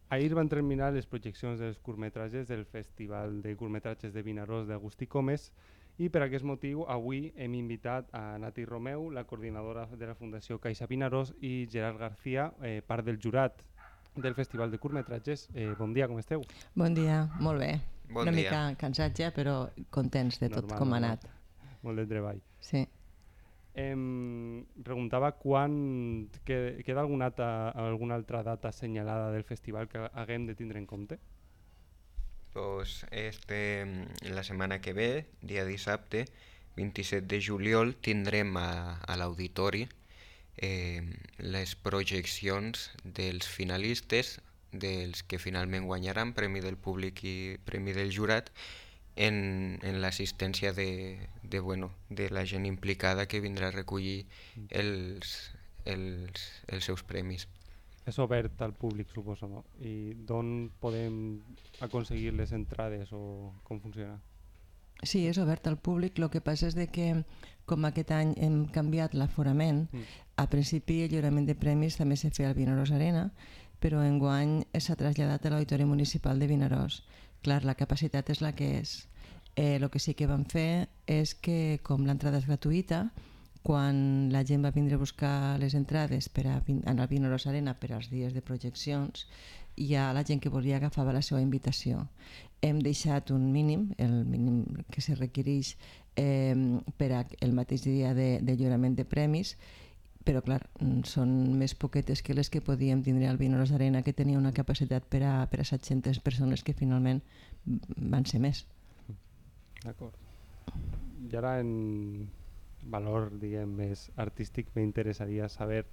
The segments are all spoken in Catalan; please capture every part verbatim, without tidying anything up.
Ahir van terminar les projeccions dels curtmetratges del Festival de Curtmetratges de Vinaròs d'Agustí Comes i per aquest motiu avui hem invitat a Nati Romeu, la coordinadora de la Fundació Caixa Vinaròs, i Gerard García, eh, part del jurat del Festival de Curtmetratges. Eh, bon dia, com esteu? Bon dia, molt bé. Bon Una dia. mica cansats ja, però contents de tot Normal, com ha normal. anat. Molt de treball. Sí. Em preguntava quan que, queda alguna, altra, alguna altra data assenyalada del festival que haguem de tindre en compte? Pues este, la setmana que ve, dia dissabte, vint-i-set de juliol, tindrem a, a l'auditori eh, les projeccions dels finalistes, dels que finalment guanyaran Premi del Públic i Premi del Jurat, en, en l'assistència de, de, bueno, de la gent implicada que vindrà a recollir els, els, els seus premis. És obert al públic, suposo, no? I d'on podem aconseguir les entrades o com funciona? Sí, és obert al públic. El que passa és de que, com aquest any hem canviat l'aforament, Mm. a principi el lliurament de premis també se feia al Vinaròs Arena, però enguany s'ha traslladat a l'Auditori Municipal de Vinaròs. Clar, la capacitat és la que és. Eh, el que sí que vam fer és que, com l'entrada és gratuïta, quan la gent va vindre a buscar les entrades per a vin- anar al Vinaròs Arena per als dies de projeccions, ja la gent que volia agafava la seva invitació. Hem deixat un mínim, el mínim que se requereix eh, per al mateix dia de, de lliurament de premis, però clar, mm, són més poquetes que les que podíem tindre al Vinaròs Arena, que tenia una capacitat per a, per a set-centes persones, que finalment van ser més. D'acord. I ara en valor, diguem, més artístic, m'interessaria saber,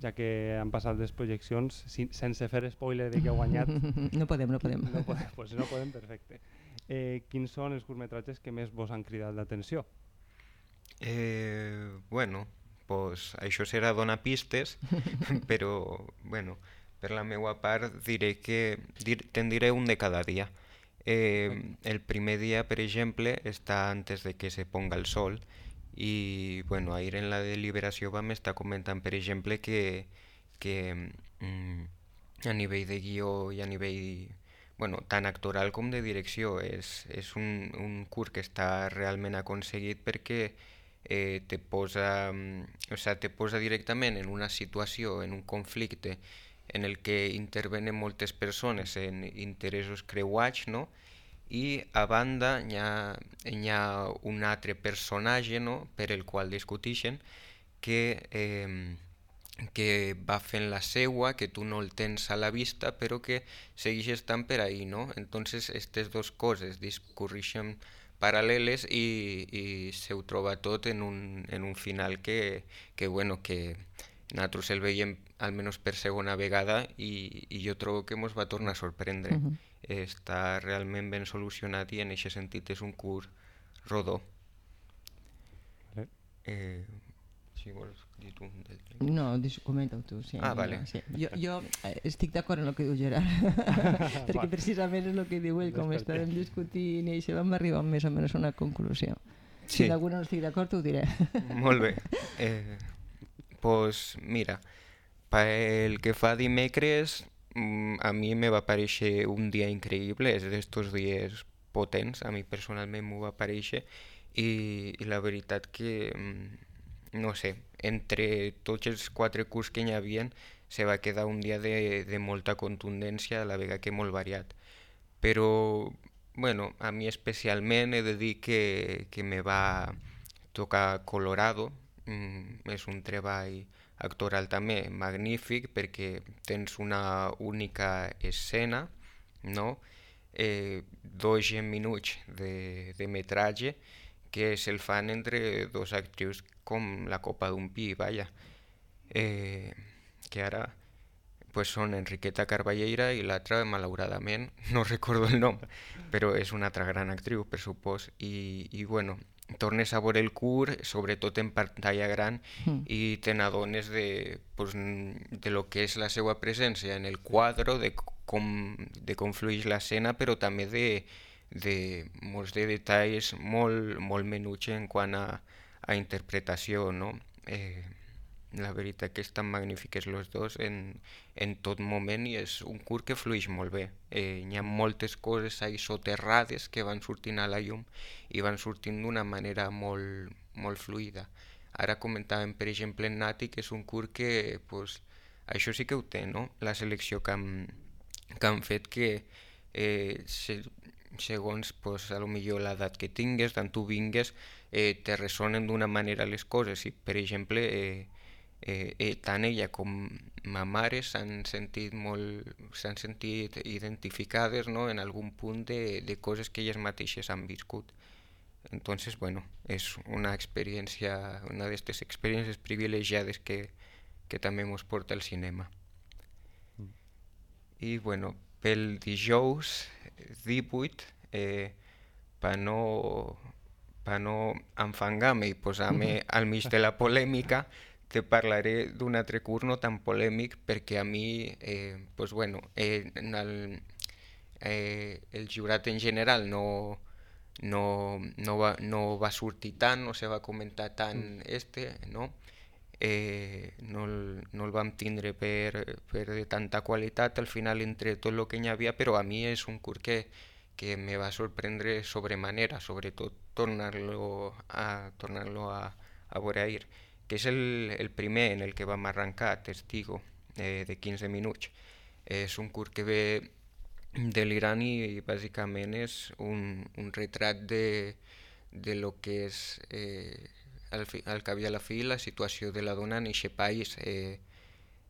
ja que han passat les projeccions, si, sense fer spoiler de que ha guanyat, No podem, no podem. no podem, pues no podem, perfecte. Eh, quins són els curtmetratges que més vos han cridat l'atenció? Eh, bueno, pues això serà donar pistes, però bueno, per la meva part diré que dir, te'n diré un de cada dia. Eh, el primer dia, per exemple, està antes de que se ponga el sol i bueno, ahir en la deliberació vam estar comentant, per exemple, que, que mm, a nivell de guió i a nivell bueno, tant actoral com de direcció és, és un, un curt que està realment aconseguit perquè eh, te posa, mm, o sea, te posa directament en una situació, en un conflicte en el que intervenen moltes persones en interessos creuats, no? I a banda hi ha, hi ha un altre personatge, no? Per el qual discuteixen que, eh, que va fent la seua, que tu no el tens a la vista, però que segueix estant per ahí, no? Entonces, aquestes dues coses discorreixen paral·leles i, i se ho troba tot en un, en un final que, que, bueno, que nosaltres el veiem almenys per segona vegada i, i jo trobo que ens va tornar a sorprendre. Mhm. Està realment ben solucionat i en aquest sentit és un curt rodó. Vale. Eh, si vols dir tu un del tren. No, dis- comenta-ho tu. Sí, Ah, vale. Sí. Jo, jo eh, estic d'acord en el que diu Gerard, perquè Vale. precisament és el que diu ell, com Desperté. estàvem discutint i això vam arribar més o menys a una conclusió. Si Sí. en alguna no estic d'acord, ho diré. Molt bé. Eh, pues mira, pel que fa a dimecres, mm, a mi me va parèixer un dia increïble, és d'estos dies potents, a mi personalment m'ho va parèixer, i, i la veritat que, mm, no sé, entre tots els quatre curts que hi havia, se va quedar un dia de, de molta contundència, a la vegada que molt variat. Però, bueno, a mi especialment he de dir que, que me va tocar Colorado. Mm, és un treball actoral també magnífic perquè tens una única escena, no? Eh, dos minuts de, de metratge que se'l fan entre dos actrius com la copa d'un pi, vaja. Eh, que ara pues són Enriqueta Carballeira i l'altra, malauradament, no recordo el nom, però és una altra gran actriu, per supòs, i, i bueno, tornes a veure el curt, sobretot en pantalla gran, Mm. i te n'adones de, pues, de lo que és la seva presència en el quadre, de com, de com fluix l'escena, però també de, de molts de detalls molt, molt menuts en quant a, a interpretació, no? Eh, la veritat que estan magnífiques los dos en, en tot moment i és un curt que fluix molt bé. Eh, hi ha moltes coses ahí soterrades que van sortint a la llum i van sortint d'una manera molt, molt fluida. Ara comentàvem, per exemple, en Nati, que és un curt que, pues, això sí que ho té, no? La selecció que han, que han fet que eh, se, segons pues, a lo millor l'edat que tingues, d'on tu vingues, eh, te ressonen d'una manera les coses. I, per exemple, eh, eh, eh, tant ella com ma mare s'han sentit molt, s'han sentit identificades, no?, en algun punt de, de coses que elles mateixes han viscut. Entonces, bueno, es una experiencia, una de estas experiencias privilegiadas que, que també mos porta al cinema. Mm. I, bueno, pel dijous divuit, eh, per no, pa no enfangar-me i posar-me al mig de la polèmica, te parlaré d'un altre curt no tan polèmic perquè a mi, eh, pues bueno, eh, en el, eh, el jurat en general no... No, no, va, no va sortir tant, no se va comentar tant este, no? Eh, no, el, no el vam tindre per, per de tanta qualitat al final entre tot el que hi havia, però a mi és un curt que, que me va sorprendre sobremanera, sobretot tornar-lo a, tornar-lo a, a veure, que és el, el primer en el que vam arrencar, Testigo, eh, de quinze minuts. És un curt que ve de l'Iran i bàsicament és un, un retrat de, de lo que és eh, al, fi, al cap i a la fi la situació de la dona en aquest país eh,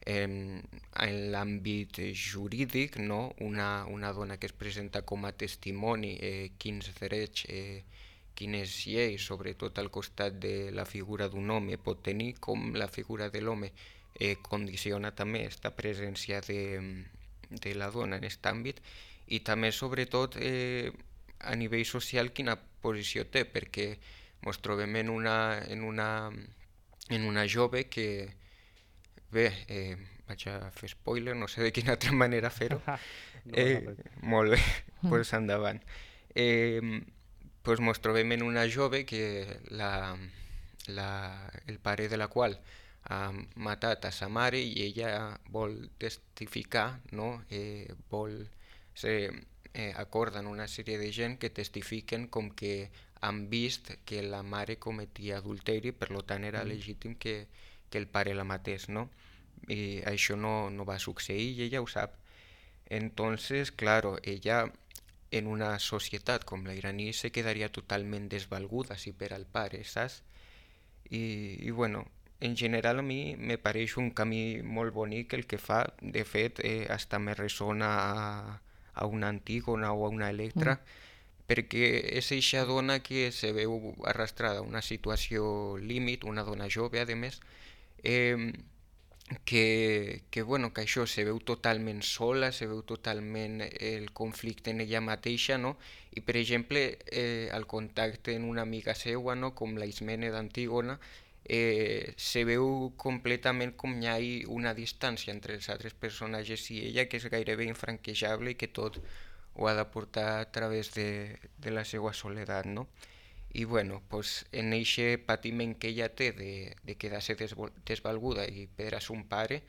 en, en l'àmbit jurídic, no? una, una dona que es presenta com a testimoni, eh, quins drets, eh, quines lleis, sobretot al costat de la figura d'un home pot tenir, com la figura de l'home eh, condiciona també aquesta presència de de la dona en aquest àmbit i també sobretot eh, a nivell social quina posició té, perquè ens trobem en una, en una, en una jove que bé, eh, vaig a fer spoiler, no sé de quina altra manera fer-ho. no, eh, molt bé, doncs pues endavant. Eh, pues ens trobem en una jove que la, la, el pare de la qual ha matat a sa mare i ella vol testificar, no? eh, vol se eh, acorden una sèrie de gent que testifiquen com que han vist que la mare cometia adulteri, per tant era mm. legítim que, que el pare la matés, no? I això no, no va succeir i ella ho sap. Entonces, claro, ella en una societat com la iraní se quedaria totalment desvalguda si per al pare, saps? I, i bueno, en general a mi me pareix un camí molt bonic el que fa, de fet eh, hasta me ressona a, a una Antígona o a una Electra, mm. perquè és eixa dona que se veu arrastrada a una situació límit, una dona jove a més, eh, que, que, bueno, que això se veu totalment sola, se veu totalment el conflicte en ella mateixa, no? I per exemple eh, el contacte en una amiga seua, no? Com la Ismene d'Antígona, Eh, se veu completament com hi ha una distància entre els altres personatges i ella que és gairebé infranquejable i que tot ho ha de portar a través de, de la seva soledat, no? I bueno, pues, en aquest patiment que ella té de, de quedar-se desvalguda i perdre a son pare,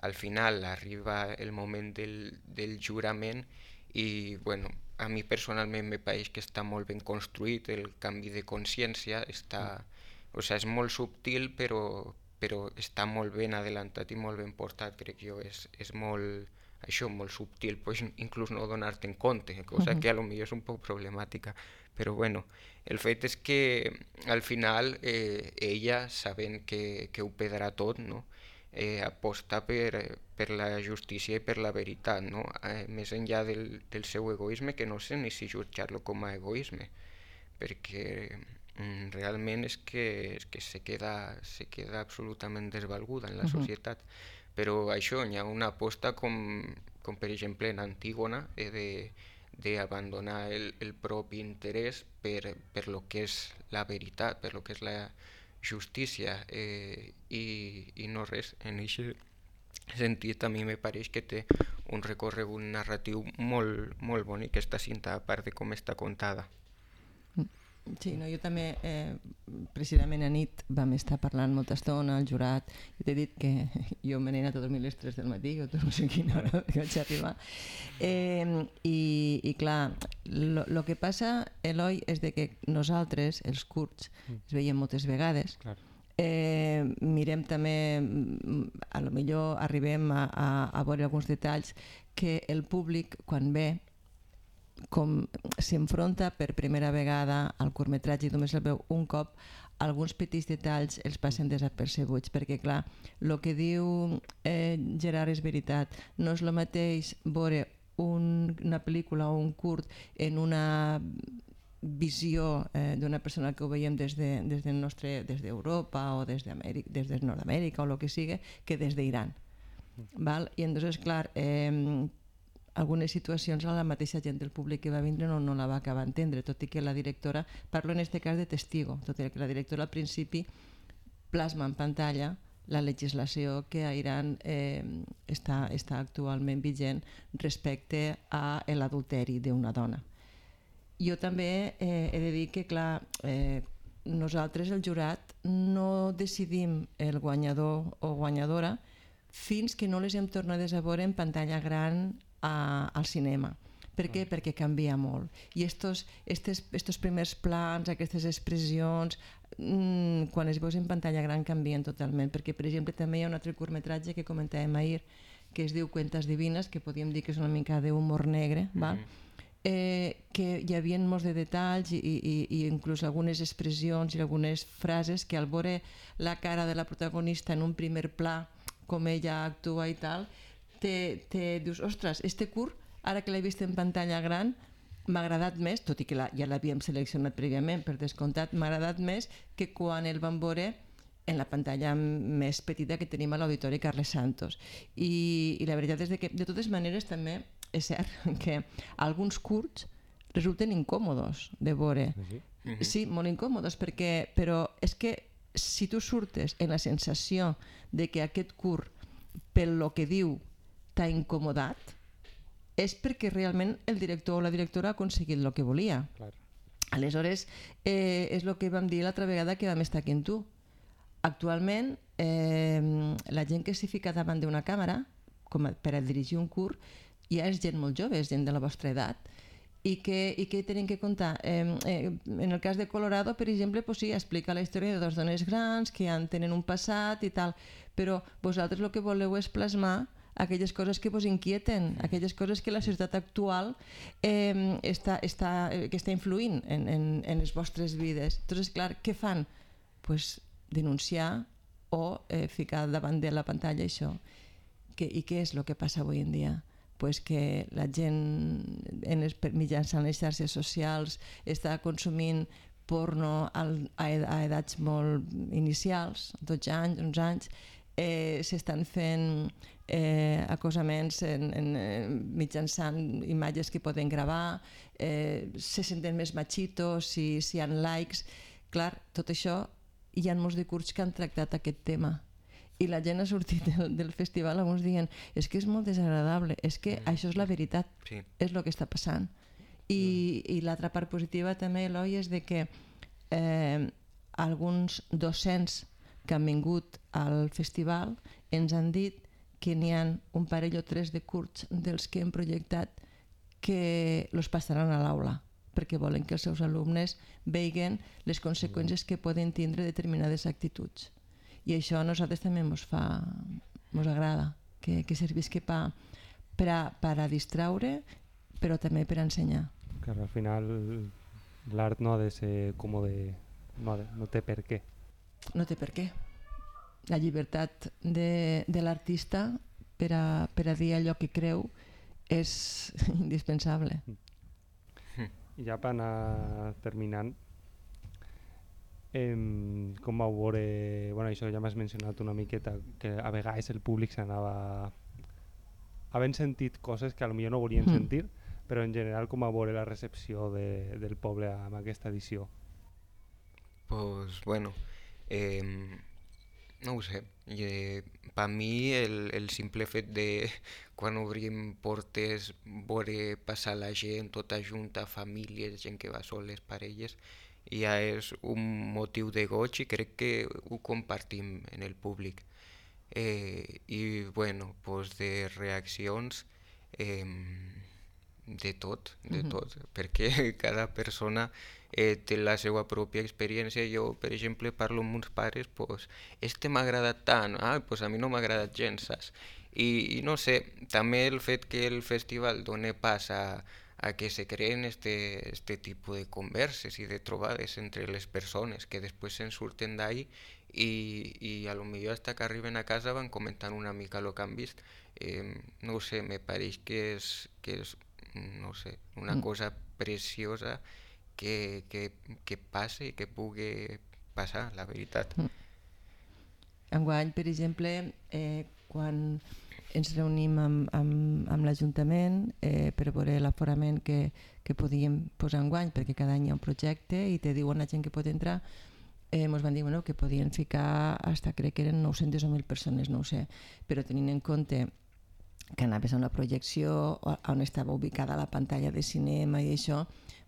al final arriba el moment del, del jurament i bueno, a mi personalment me pareix que està molt ben construït el canvi de consciència, està... O sigui, és molt subtil, però, però està molt ben adelantat i molt ben portat, crec jo. És, és molt, això, molt subtil, pues, inclús no donar-te en compte, cosa uh-huh. que a lo millor és un poc problemàtica. Però bueno, el fet és que al final eh, ella, sabent que, que ho perdrà tot, no? eh, aposta per, per la justícia i per la veritat, no? eh, més enllà del, del seu egoisme, que no sé ni si jutjar-lo com a egoisme, perquè... realment és que, és que se, queda, se queda absolutament desvalguda en la societat. Uh-huh. Però això, hi ha una aposta com, com per exemple en Antígona, eh, d'abandonar el, el propi interès per, per lo que és la veritat, per lo que és la justícia, eh, i, i no res. En aquest sentit a mi me pareix que té un recorregut narratiu molt, molt bonic aquesta cinta, a part de com està contada. Sí, no, jo també, eh, precisament a nit vam estar parlant molta estona al jurat, i t'he dit que jo me n'he anat a dormir a les tres del matí, o no sé quina hora vaig arribar. Eh, i, I clar, el que passa, Eloi, és de que nosaltres, els kurds, es veiem moltes vegades, eh, mirem també, a lo millor arribem a, a, a veure alguns detalls que el públic, quan ve, com s'enfronta per primera vegada al curtmetratge i només el veu un cop, alguns petits detalls els passen desapercebuts, perquè clar, el que diu eh, Gerard és veritat, no és el mateix veure un, una pel·lícula o un curt en una visió eh, d'una persona que ho veiem des de, des del nostre, des d'Europa o des d'Amèrica, des de Nord-Amèrica o el que sigui, que des d'Iran. Val? I entonces, clar, eh, algunes situacions a la mateixa gent del públic que va vindre no, no la va acabar d'entendre, tot i que la directora, parlo en aquest cas de testigo, tot i que la directora al principi plasma en pantalla la legislació que a Iran eh, està, està actualment vigent respecte a l'adulteri d'una dona. Jo també eh, he de dir que, clar, eh, nosaltres, el jurat, no decidim el guanyador o guanyadora fins que no les hem tornades a veure en pantalla gran A, al cinema. Per què? Perquè canvia molt. I estos, estes, estos primers plans, aquestes expressions, mmm, quan es veus en pantalla gran canvien totalment. Perquè, per exemple, també hi ha un altre curtmetratge que comentàvem ahir, que es diu Cuentas Divines, que podríem dir que és una mica d'humor negre, val? Eh, que hi havia molts de detalls i, i, i inclús algunes expressions i algunes frases que al veure la cara de la protagonista en un primer pla, com ella actua i tal, Te, te dius, ostres, este curt, ara que l'he vist en pantalla gran, m'ha agradat més, tot i que la, ja l'havíem seleccionat prèviament, per descomptat, m'ha agradat més que quan el vam veure en la pantalla més petita que tenim a l'Auditori Carles Santos. I, i la veritat és que, de totes maneres, també és cert que alguns curts resulten incòmodos de veure. Sí, molt incòmodos, perquè, però és que si tu surtes en la sensació de que aquest curt, pel lo que diu, t'ha incomodat, és perquè realment el director o la directora ha aconseguit el que volia. Clar. Aleshores, eh, és el que vam dir l'altra vegada que vam estar aquí amb tu. Actualment, eh, la gent que s'hi fica davant d'una càmera, com a, per a dirigir un curt, ja és gent molt jove, és gent de la vostra edat, i que, i que tenen que contar. Eh, eh, en el cas de Colorado, per exemple, pues sí, explica la història de dos dones grans que ja tenen un passat i tal, però vosaltres el que voleu és plasmar aquelles coses que vos inquieten, aquelles coses que la societat actual eh, està, està, que està influint en, en, en les vostres vides. Entonces, clar, què fan? Pues denunciar o eh, ficar davant de la pantalla això. Que, I què és el que passa avui en dia? Pues que la gent en les, mitjançant les xarxes socials està consumint porno a, a edats molt inicials, dotze anys, onze anys, eh, s'estan fent eh, acosaments en, en, en, mitjançant imatges que poden gravar, eh, se senten més machitos si, si hi ha likes. Clar, tot això, hi ha molts de curts que han tractat aquest tema i la gent ha sortit del, del festival alguns dient és que és molt desagradable, és que mm. això és la veritat, sí. És el que està passant. I, mm. i l'altra part positiva també, Eloi, és de que eh, alguns docents que han vingut al festival ens han dit que n'hi ha un parell o tres de curts dels que hem projectat que els passaran a l'aula perquè volen que els seus alumnes vegin les conseqüències que poden tindre determinades actituds. I això a nosaltres també ens fa, ens agrada, que, que servisqui pa, per, a, per a distraure, però també per a ensenyar. Que al final l'art no ha de ser com de... No, de, no té per què. No té per què. La llibertat de, de l'artista per a, per a dir allò que creu és indispensable. I ja per anar terminant, eh, com vau veure, bueno, això ja m'has mencionat una miqueta, que a vegades el públic s'anava havent sentit coses que potser no volien mm. sentir, però en general com vau veure la recepció de, del poble amb aquesta edició? Pues bueno, eh, no ho sé, eh, per mi el, el simple fet de quan obrim portes veure passar la gent tota junta, famílies, gent que va soles, parelles, ja és un motiu de goig i crec que ho compartim en el públic. Eh, I bueno, pues de reaccions eh, de tot, de tot, mm-hmm. perquè cada persona eh, té la seva pròpia experiència. Jo, per exemple, parlo amb uns pares, pues, este m'ha agradat tant, ah, pues a mi no m'ha agradat gens, saps? I, I no sé, també el fet que el festival doni pas a, a que se creen este, este tipus de converses i de trobades entre les persones que després se'n surten d'ahí i, i a lo millor hasta que arriben a casa van comentant una mica el que han vist. Eh, no ho sé, me pareix que és, que és no sé, una mm. cosa preciosa que, que, que passi i que pugui passar, la veritat. Mm. Enguany, per exemple, eh, quan ens reunim amb, amb, amb l'Ajuntament eh, per veure l'aforament que, que podíem posar enguany, perquè cada any hi ha un projecte i te diuen la gent que pot entrar, eh, ens van dir bueno, que podien ficar hasta crec que eren nou-centes o mil persones, no ho sé, però tenint en compte que anaves a una projecció on estava ubicada la pantalla de cinema i això,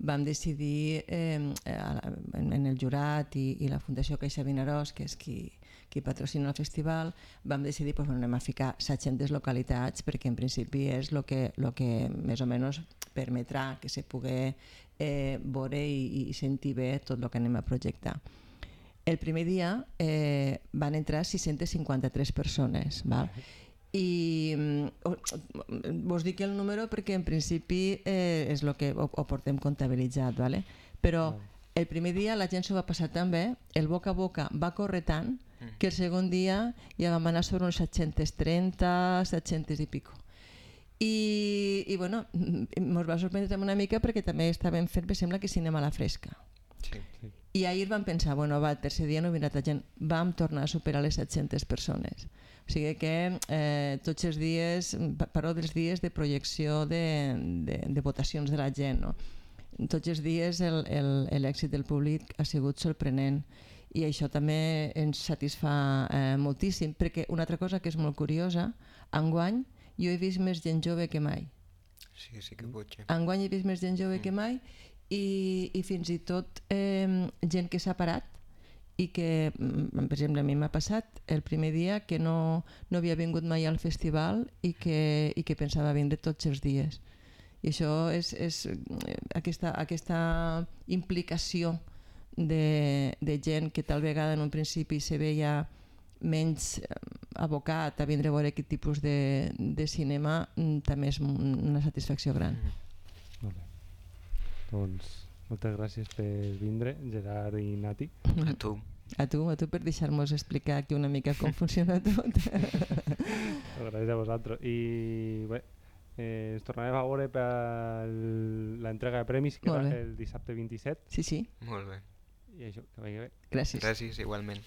vam decidir eh, en, en el jurat i, i la Fundació Caixa Vinaròs, que és qui, qui patrocina el festival, vam decidir pues, bueno, anem a ficar setcentes localitats perquè en principi és el que, lo que més o menys permetrà que se pugui eh, veure i, i sentir bé tot el que anem a projectar. El primer dia eh, van entrar sis-centes cinquanta-tres persones, val? I vos dic el número perquè en principi eh, és el que ho, ho portem comptabilitzat, vale? Però el primer dia la gent s'ho va passar tan bé, el boca a boca va córrer tant que el segon dia ja vam anar sobre uns set-cents trenta, set-cents i pico. I, i bueno, ens va sorprendre una mica perquè també estàvem fent, per sembla que cinema a la fresca. Sí, sí. I ahir vam pensar, bueno, va, el tercer dia no vindrà tanta gent, vam tornar a superar les set-centes persones. O sigui que eh, tots els dies, parlo dels dies de projecció de, de, de votacions de la gent, no? Tots els dies l'èxit del públic ha sigut sorprenent i això també ens satisfà eh, moltíssim, perquè una altra cosa que és molt curiosa, enguany jo he vist més gent jove que mai. Sí, sí que pot ser. Enguany he vist més gent jove mm. que mai i, i fins i tot eh, gent que s'ha parat i que, per exemple, a mi m'ha passat el primer dia que no, no havia vingut mai al festival i que, i que pensava vindre tots els dies. I això és, és aquesta, aquesta implicació de, de gent que tal vegada en un principi se veia menys abocat a vindre a veure aquest tipus de, de cinema, també és una satisfacció gran. Mm-hmm. Molt bé. Doncs moltes gràcies per vindre, Gerard i Nati. A tu. A tu, a tu per deixar-nos explicar aquí una mica com funciona tot. Gràcies a vosaltres. I bé, eh, ens tornarem a veure per l'entrega de premis que va el dissabte vint-i-set. Sí, sí. Molt bé. I això, que vagi bé. Gràcies. Gràcies, igualment.